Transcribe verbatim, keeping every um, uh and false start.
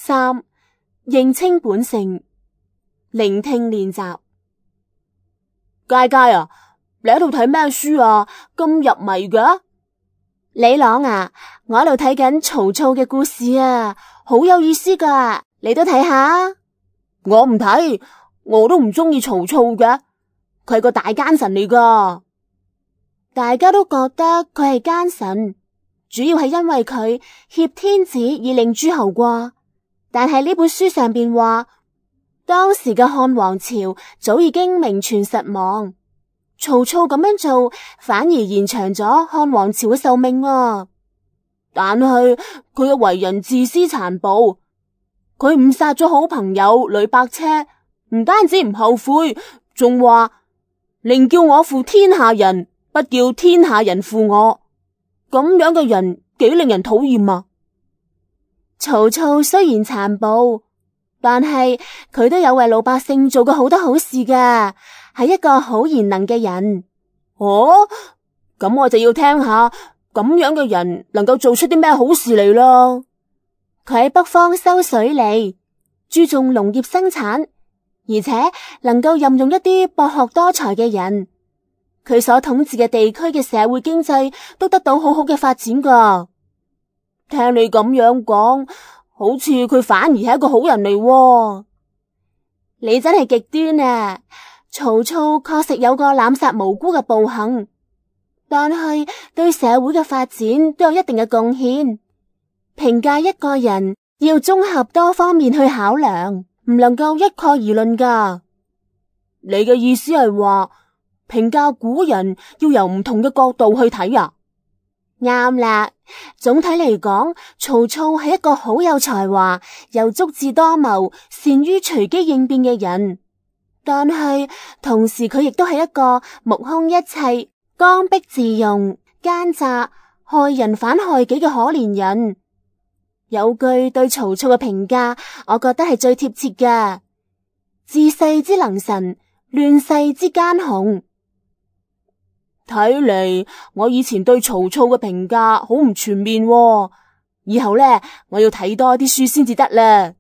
三、認清本性，聆聽練習。佳佳啊，你喺度睇咩書啊？咁入迷嘅？李朗啊，我喺度睇緊曹操嘅故事啊，好有意思噶，你都睇下。我唔睇，我都唔中意曹操嘅，佢係個大奸臣嚟噶。大家都覺得佢係奸臣，主要係因為佢挾天子以令諸侯國。但係呢本書上邊話，當時嘅漢王朝早已經名存實亡，曹操咁樣做反而延長咗漢王朝嘅壽命啊！但係佢嘅為人自私殘暴，佢誤殺咗好朋友呂伯奢，唔單止唔後悔，仲話寧叫我負天下人，不叫天下人負我。咁樣嘅人幾令人討厭啊！曹操雖然殘暴，但係佢都有為老百姓做過好多好事噶，係一個好賢能嘅人。哦，咁我就要聽下咁樣嘅人能夠做出啲咩好事嚟咯。佢喺北方修水利，注重農業生產，而且能夠任用一啲博學多才嘅人。佢所統治嘅地區嘅社會經濟都得到好好嘅發展噶。聽你咁樣講，好似佢反而係一個好人嚟喎。你真係極端啊！曹操確實有個濫殺無辜嘅暴行，但係對社會嘅發展都有一定嘅貢獻。評價一個人要綜合多方面去考量，唔能夠一概而論噶。你嘅意思係話，評價古人要由唔同嘅角度去睇啊？啱啦，總體嚟講，曹操係一個好有才華、又足智多謀、善於隨機應變嘅人，但係同時佢亦都係一個目空一切、剛愎自用、奸詐、害人反害己嘅可憐人。有句對曹操嘅評價，我覺得係最貼切嘅：治世之能臣，亂世之奸雄。睇嚟我以前對曹操嘅評價好唔全面喎，以後呢，我要睇多啲書先至得啦。